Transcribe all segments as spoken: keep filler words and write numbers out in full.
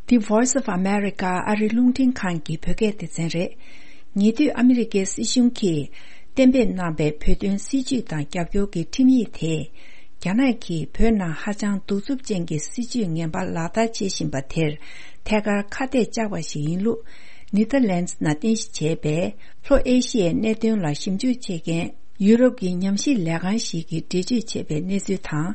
The Voice of America ཨ་རིའི་རླུང་འཕྲིན་ཁང་གི་བོད་སྐད་སྡེ་ཚན་རེད། ཉེ་དུས་ཨ་མི་རི་ཀའི་སྲིད་གཞུང་གིས་གཏན་འབེབས་གནང་པའི་བོད་དོན་སྲིད་བྱུས་དང་རྒྱབ་སྐྱོར་གྱི་ཁྲིམས་ཡིག་དེས། རྒྱ་ནག་གིས་བོད་ནང་ཧ་ཅང་གདུག་རྩུབ་ཅན་གྱི་སྲིད་བྱུས་ངན་པ་ལག་བསྟར་བྱེད་བཞིན་པ་དེར་ཐད་ཀར་ཁ་གཏད་བཅག་པ་ཞིག་ཡིན་ལུགས། ནེ་ཐར་ལན་ནང་རྟེན་གཞི་བྱས་པའི་ལྷོ་ཨེ་ཤི་ཡའི་གནད་དོན་ལ་ཞིབ་འཇུག་བྱེད་མཁན་ཡུ་རོབ་ཀྱི་ཉམས་ཞིབ་ལས་ཁང་ཞིག་གིས་འགྲེལ་བརྗོད་བྱས་པའི་གནས་ཚུལ་དང་།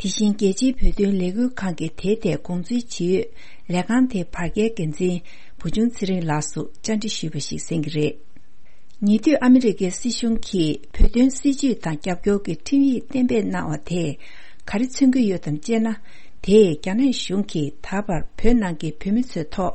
དེ་བཞིན་རྒྱལ་སྤྱིའི་བོད་དོན་ལས་འགུལ་ཁང་གིས་དེའི་ཐད་དགོངས་ཚུལ་ཇི་ཡོད་ལས་ཁང་དེའི་བར་བརྒལ་འགན་འཛིན་བུ་ཆུང་ཚེ་རིང་ལགས་སུ་བཅར་འདྲི་ཞུས་པ་ཞིག་གསན་གྱི་རེད། ཉེ་དུས་ཨ་མི་རི་ཀའི་སྲིད་གཞུང་གིས་བོད་དོན་སྲིད་བྱུས་དང་རྒྱབ་སྐྱོར་གྱི་ཁྲིམས་ཡིག་གཏན་འབེབས་གནང་བ་དེས་ག་རེ་མཚོན་གྱི་ཡོད་དམ་ཅེ་ན། དེས་རྒྱ་ནག་གཞུང་གིས་ད་བར་བོད་ནང་གི་བོད་མི་ཚོའི་ཐོག་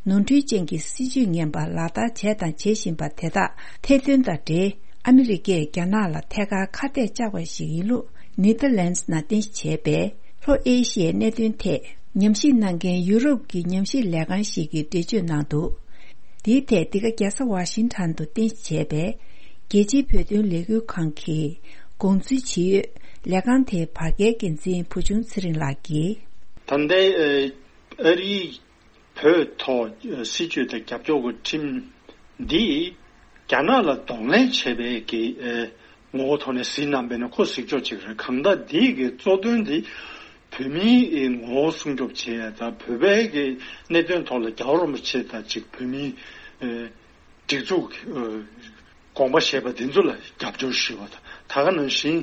ནོར་འཁྲུལ་ཅན་གྱི་སྲིད་བྱུས་ངན་པ་ལག་བསྟར་བྱས་དང་བྱེད་བཞིན་པ་དེ་དག་ཐེར་འདོན་དང་འབྲེལ། ཨ་མི་རི་ཀས་རྒྱ་ནག་ལ་ཐད་ཀར་ཁ་གཏད་བཅག་པ་ཞིག་ཡིན་ལུགས། ནེ་ཐར་ལན་ནང་རྟེན་གཞི་བྱས་པའི་ལྷོ་ཨེ་ཤི་ཡའི་གནད་དོན་ཐད་ཉམས་ཞིབ་གནང་མཁན་ཡུ་རོབ་ཀྱི་ཉམས་ཞིབ་ལས་ཁང་ཞིག་གིས་འགྲེལ་བརྗོད་གནང་འདུག་འདིའི་ཐད་འདི་ག་རྒྱལ་ས་ཝ་ཤིང་ཊོན་དུ་རྟེན་གཞི་བྱས་པའི་རྒྱལ་སྤྱིའི་བོད་དོན་ལས་འགུལ་ཁང་གི་དགོངས་ཚུལ་ཇི་ཡོད་ལས་ཁང་དེའི་བར་བརྒལ་འགན་འཛིན་བུ་ཆུང་ཚེ་རིང་ལགས་ཀྱིས། ད་ལྟའི་ཨ་རིའི་བོད་ཐོག་སྲིད་བྱུས་དང་རྒྱབ་སྐྱོར་གྱི་ཁྲིམས་འདིས་རྒྱ་ནག་ལ་གདོང་ལེན་བྱས་པའི་གི་ངོ་བོ་ཐོག་ནས་གཟིགས་གནང་པས་ན་ཁོ་གཟིགས་ཕྱོགས་གཅིག་རེད། གང་ལྟར་འདི་གི་གཙོ་དོན་འདི་བོད་མིའི་ངོ་བོ་སྲུང་སྐྱོབ་བྱེད་ཡ་དང་བོད་པའི་གི་གནད་དོན་ཐོག་ལ་རྒྱལ་བ་རིན་པོ་ཆེ་དང་གཅིག་བོད་མིའི་སྒྲིག་འཛུགས་དགོངས་པ་བཞེས་པ་འདི་ཚོ་ལ་རྒྱབ་སྐྱོར་ཞུས་པ་དང་། ད་ག་ནང་བཞིན་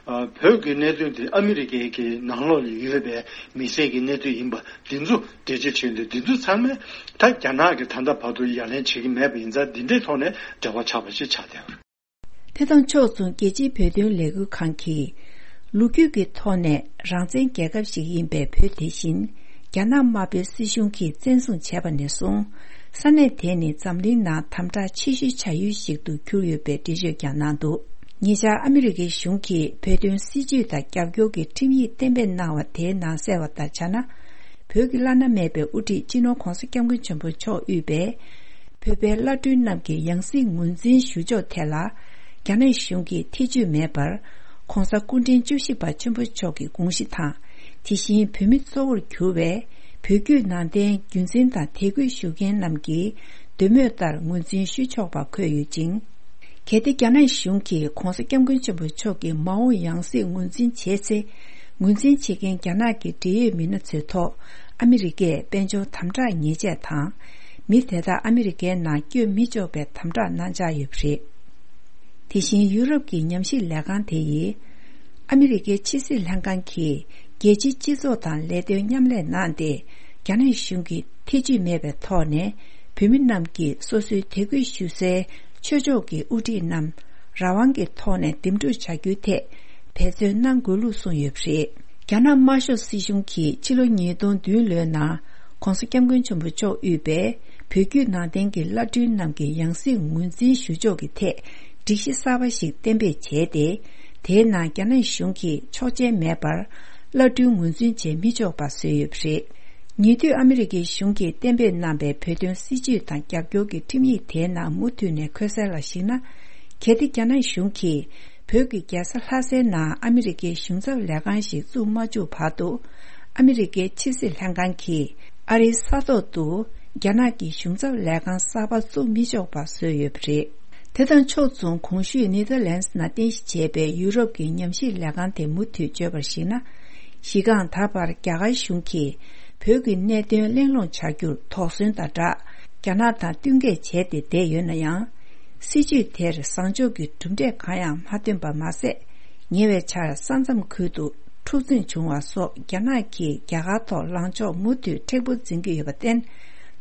བོད་ཀྱི་གནད་དོན་དེ་ཨ་མི་རི་ཀའི་གི་ནང་ལོགས་ལ་ཡོད་པའི་མི་སེར་གྱི་གནད་དོན་ཡིན་པ་འདི་ཚོ་འགྲེལ་བརྗོད་བྱས་ཏེ། འདི་ཚོ་ཚང་མས་ད་རྒྱ་ནག་གིས་ད་ལྟ་བར་དུ་ཡ་ལན་བྱེད་ཀྱི་མེད་པ་ཡིན་ཙང་འདི་འདྲའི་ཐོག་ནས་འབྲེལ་བ་ཆགས་པ་ཞིག་ཆགས་བསྡད་པ་རེད། དེ་དང་ཕྱོགས་མཚུངས་རྒྱལ་སྤྱིའི་བོད་དོན་ལས་འགུལ་ཁང་གིས་ལོ་རྒྱུས་ཀྱི་ཐོག་ནས་རང་བཙན་རྒྱལ་ཁབ་ཞིག་ཡིན་པའི་བོད་དེ་བཞིན་རྒྱ་ནག་དམར་པོའི་སྲིད་གཞུང་གིས་བཙན་བཟུང་བྱས་པ་ནས་བཟུང་ས་གནས་དེ་ནི་འཛམ་གླིང་ནང་དམ་དྲག་ཆེ་ཤོས་བྱ་ཡུལ་ཞིག་ཏུ་གྱུར་ཡོད་པའི་འགྲེལ་བརྗོད་ཀྱང་གནང་འདུག་ཉེ་ཆར་ཨ་མི་རི་ཀའི་གཞུང་གིས་བོད་དོན་སྲིད་བྱུས་དང་རྒྱབ་སྐྱོར་གྱི་ཁྲིམས་ཡིག་གཏན་འབེབས་གནང་བ་དེའི་ནང་གསལ་བ་ལྟར་བྱས་ན། བོད་ཀྱི་བླ་ན་མེད་པའི་དབུ་ཁྲིད་སྤྱི་ནོར་༧གོང་ས་༧སྐྱབས་མགོན་ཆེན་པོ་མཆོག་དབུས་པའི་བོད་པའི་བླ་སྤྲུལ་རྣམས་ཀྱི་ཡང་སྲིད་ངོས་འཛིན་ཞུ་ཕྱོགས་ཐད་ལ་རྒྱ་ནག་གཞུང་གིས་ཐེ་བྱུས་མེད་པར། ྋགོང་ས་སྐུ་ཕྲེང་བཅུ་བཞི་པ་ཆེན་པོ་མཆོག་གི་དགོངས་གཞི་དང་། དེ་བཞིན་བོད་མི་གཙོ་བོར་གྱུར་བའི་བོད་བརྒྱུད་ནང་བསྟན་རྒྱུན་འཛིན་དང་དད་གུས་ཞུ་མཁན་རྣམས་ཀྱི་འདོད་མོས་ལྟར་ངོས་འཛིན་ཞུ་ཆོག་པ་འཁོད་ཡོད་ཅིང་། གལ་ཏེ་རྒྱ་ནག་གཞུང་གིས་ྋགོང་ས་ྋསྐྱབས་མགོན་ཆེན་པོ་མཆོག་གི་མ་འོངས་ཡང་སྲིད་ངོས་འཛིན་བྱས་ཚེ། ངོས་འཛིན་བྱེད་མཁན་རྒྱ་ནག་གི་འབྲེལ་ཡོད་མི་སྣ་ཚོའི་ཐོག་ཨ་མི་རི་ཀས་དཔལ་འབྱོར་དམ་དྲག་ཉེས་ཆད་དང་། མི་དེ་དག་ཨ་མི་རི་ཀའི་ནང་བསྐྱོད་མི་ཆོག་པའི་དམ་དྲག་གནང་འཆར་ཡོད་པ་རེད། དེ་བཞིན་ཡུ་རོབ་ཀྱི་ཉམས་ཞིབ་ལས་ཁང་དེ་ཡིས། ཨ་མི་རི་ཀའི་ཕྱི་སྲིད་ལྷན་ཁང་གིས་རྒྱལ་སྤྱིའི་སྤྱི་ཚོགས་དང་ལས་དོན་མཉམ་ལས་གནང་སྟེ། རྒྱ་ནག་གཞུང་གིས་ཐེ་བྱུས་མེད་པའི་ཐོག་ནས་བོད་མི་རྣམས་ཀྱིས་སོ་སོའི་དད་གུས་ཞུ་སའི་ཆོས་ཕྱོགས་ཀྱི་དབུ་ཁྲིད་རྣམས་རང་དབང་གི་ཐོག་ནས་འདེམས་སྒྲུག་བྱ་རྒྱུའི་ཐད་འབད་བརྩོན་གནང་དགོས་ལུགས་གསུངས་ཡོད་པ་རེད། རྒྱ་ནག་དམར་ཤོག་སྲིད་གཞུང་གིས་ཕྱི་ལོ་ཉིས་སྟོང་བདུན་ལོའི་ནང་༧གོང་ས་༧སྐྱབས་མགོན་ཆེན་པོ་མཆོག་དབུས་པའི་བོད་བརྒྱུད་ནང་བསྟན་གྱི་བླ་སྤྲུལ་རྣམས་ཀྱི་ཡང་སྲིད་ངོས་འཛིན་ཞུ་ཕྱོགས་ཀྱི་ཐད་སྒྲིག་གཞི་གསར་པ་ཞིག་གཏན་འབེབས་བྱས་ཏེ། དེའི་ནང་རྒྱ་ནག་གཞུང་གིས་ཆོག་མཆན་མེད་པར་བླ་སྤྲུལ་ངོས་འཛིན་བྱེད་མི་ཆོག་པ་བཟོས་ཡོད་པ་རེད། ཉེ་དུས་ཨ་མི་རི་ཀའི་གཞུང་གིས་གཏན་འབེབས་གནང་པའི་བོད་དོན་སྲིད་བྱུས་དང་རྒྱབ་སྐྱོར་གྱི་ཁྲིམས་ཡིག་དེའི་ནང་མུ་མཐུད་ནས་འཁོད་གསལ་ལ་གཞིགས་ན། གལ་ཏེ་རྒྱ་ནག་གཞུང་གིས་བོད་ཀྱི་རྒྱལ་ས་ལྷ་སའི་ནང་ཨ་མི་རི་ཀའི་གཞུང་ཚབ་ལས་ཁང་ཞིག་བཙུགས་མ་བཅུག་བར་དུ། ཨ་མི་རི་ཀའི་ཕྱི་སྲིད་ལྷན་ཁང་གིས་ཨ་རིའི་ས་ཐོག་ཏུ་རྒྱ་ནག་གི་གཞུང་ཚབ་ལས་ཁང་གསར་པ་བཙུགས་མི་ཆོག་པ་བཟོས་ཡོད་པ་རེད། དེ་དང་ཕྱོགས་མཚུངས་གོང་ཞུས་ནེ་ཐར་ལན་ནང་རྟེན་གཞི་བྱས་པའི་ཡུ་རོབ་ཀྱི་ཉམས་ཞིབ་ལས་ཁང་དེས་མུ་མཐུད་བརྗོད་པར་གཞིགས་ན། གཞི་རྐང་ད་བར་རྒྱ་གར་གཞུང་གིས་བོད་ཀྱི་གནད་དོན་གླེང་སློང་བྱ་རྒྱུར་དོགས་ཟོན་དང་སྦྲགས་རྒྱ་ནག་དང་བསྟུན་མཁས་བྱས་ཏེ་བསྡད་ཡོད་ན་ཡང་། སྲིད་བྱུས་དེར་བཟང་ཕྱོགས་ཀྱི་གྲུབ་འབྲས་གང་ཡང་མ་ཐོན་པ་མ་ཟད། ཉེ་བའི་ཆར་ས་མཚམས་ཁུལ་དུ་འཁྲུག་འཛིང་བྱུང་བ་སོགས་རྒྱ་ནག་གིས་རྒྱ་གར་ཐོག་ལངས་ཕྱོགས་མུ་མཐུད་མཁྲེགས་པོ་འཛིན་གྱི་ཡོད་པར་བརྟེན།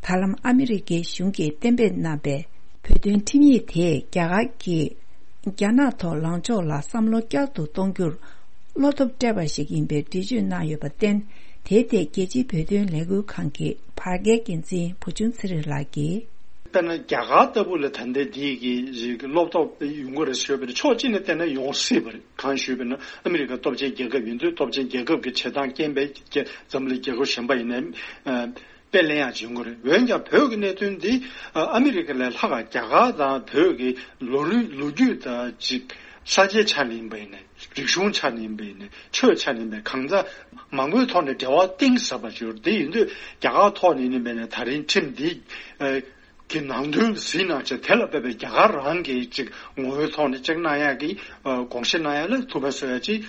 ད་ལམ་ཨ་མི་རི་ཀའི་གཞུང་གིས་གཏན་འབེབས་གནང་པའི་བོད་དོན་ཁྲིམས་ཡིག་དེས་རྒྱ་གར་གྱིས་རྒྱ་ནག་ཐོག་ལངས་ཕྱོགས་ལ་བསམ་བློ་བསྐྱར་དུ་གཏོང་རྒྱུར་བློ་སྟོབས་སྤྲད་པ་ཞིག་ཡིན་པའི་འགྲེལ་བརྗོད་གནང་ཡོད་པར་བརྟེན། དེའི་ཐད་རྒྱལ་སྤྱིའི་བོད་དོན་ལས་འགུལ་ཁང་གི་བར་བརྒལ་འགན་འཛིན་བུ་ཆུང་ཚེ་རིང་ལགས་ཀྱིས། དཔེར་ན་རྒྱ་གར་ལྟ་བུ་ལ་ད་ལྟའི་འདི་གི་ཅིག་བློ་སྟོབས་ཡོང་གི་རེད་ཞུས་པ་ཡིན་ན་ཕྱོགས་གཅིག་ནས་བལྟས་ན་ཡོང་སྲིད་པ་རེད། གང་ཞུས་པ་ཡིན་ན་ཨ་མི་རི་ཀ་སྟོབས་ཆེན་རྒྱལ་ཁབ་ཡིན་དུས་སྟོབས་ཆེན་རྒྱལ་ཁབ་ཀྱི་བྱེད་སྟངས་རྐྱེན་པས་རྒྱ་འཛམ་གླིང་རྒྱལ་ཁབ་གཞན་པ་ཡིན་ནའི་ཨ་དཔེ་ལེན་ཡག་ཅིག་ཡོང་གི་རེད། འོན་ཀྱང་བོད་ཀྱི་གནད་དོན་འདི་ཨ་ཨ་མི་རི་ཀ་ལས་ལྷག་ག་རྒྱ་གར་དང་བོད་ཀྱི་ལོ་རྒྱུས་ལོ་རྒྱུས་དང་ཅིག་ས་ཆའི་ཆ་ནས་ཡིན་པ་ཡིན་ནའི། རིག་གཞུང་ཆ་ནས་ཡིན་པ་ཡིན་ནའི་ཆོས་ཆ་ནས་ཡིན་པའི་གང་ཟག་མང་པོའི་ཐོག་ནས་འབྲེལ་བ་གཏིང་ཟབ་པ་ཅིག་ཡོད་རེད། དེ་ཡིན་དུས་རྒྱ་གར་ཐོག་ནས་ཡིན་པ་ཡིན་ནའི་ད་རིང་ཁྲིམས་འདི་ཨ་གི་ནང་དོན་གཟིགས་གནང་བྱས། དེ་ལ་དཔག་པའི་རྒྱ་གར་རང་གི་ཅིག་ངོ་བོའི་ཐོག་ནས་ཅིག་གནང་ཡག་གི་ཨ་དགོངས་བཞེས་གནང་ཡག་ལ་ཐུགས་ཕན་གསོས་ཡག་ཅིག་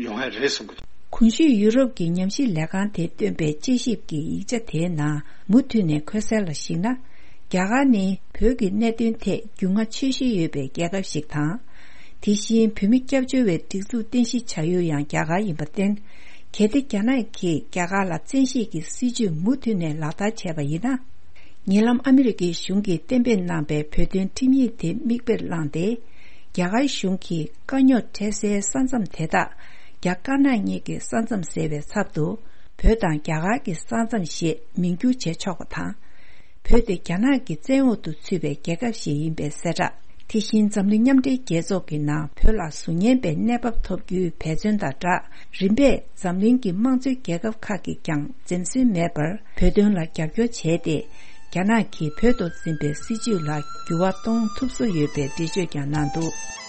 ཡོང་ཡག་རེད་བསམ་གི་འདུག། གོང་ཞུས་ཡུ་རོབ་ཀྱི་ཉམས་ཞིབ་ལས་ཁང་དེས་བཏོན་པའི་དཔྱད་ཞིབ་ཀྱི་ཡིག་ཆ་དེའི་ནང་མུ་མཐུད་ནས་འཁོད་གསལ་ལ་གཞིགས་ན། རྒྱ་གར་ནི་བོད་ཀྱི་གནད་དོན་ཐད་རྒྱུས་མངའ་ཆེ་ཤོས་ཡོད་པའི་རྒྱལ་ཁབ་ཞིག་དང་། དེ་བཞིན་བོད་མི་སྐྱབས་བཅོལ་བའི་སྒྲིག་འཛུགས་རྟེན་གཞི་བྱ་ཡུལ་ཡང་རྒྱ་གར་ཡིན་པར་བརྟེན། གལ་ཏེ་རྒྱ་ནག་གིས་རྒྱ་གར་ལ་བཙན་ཤེད་ཀྱི་སྲིད་ཇུས་མུ་མཐུད་ནས་ལག་བསྟར་བྱས་པ་ཡིན་ན། ཉེ་ལམ་ཨ་མི་རི་ཀའི་གཞུང་གིས་གཏན་འབེབས་གནང་པའི་བོད་དོན་ཁྲིམས་ཡིག་དེ་མིག་དཔེར་བླངས་ཏེ། རྒྱ་གར་གཞུང་གིས་དཀའ་རྙོག་འཕྲད་སའི་ས་མཚམས་དེ་དག་རྒྱ་དཀར་ནག་གཉིས་ཀྱི་ས་མཚམས་ཟེར་བའི་ཚབ་ཏུ། བོད་དང་རྒྱ་གར་གྱི་ས་མཚམས་ཞེས་མིང་བསྒྱུར་བྱས་ཆོག་པ་དང་། བོད་དེ་རྒྱ་ནག་གི་བཙན་འོག་ཏུ་ཚུད་པའི་རྒྱལ་ཁབ་ཞིག་ཡིན་པའི་གསལ་བསྒྲགས། དེ་བཞིན་འཛམ་གླིང་མཉམ་འབྲེལ་རྒྱལ་ཚོགས་ཀྱི་ནང་བོད་ལ་གཟུགས་བརྙན་པའི་གནས་བབ་ཐོབ་རྒྱུའི་འབད་བརྩོན་དང་སྦྲགས། རིམ་པས་འཛམ་གླིང་གི་དམངས་གཙོའི་རྒྱལ་ཁབ་ཁག་གིས་ཀྱང་འཛེམ་ཟོན་མེད་པར་བོད་དོན་ལ་རྒྱབ་སྐྱོར་བྱས་ཏེ། རྒྱ་ནག་གིས་བོད་དུ་འཛིན་པའི་སྲིད་བྱུས་ལ་འགྱུར་བ་གཏོང་ཐུབ་བཟོ་ཡོད་པའི་འགྲེལ་བརྗོད་ཀྱང་གནང་འདུག།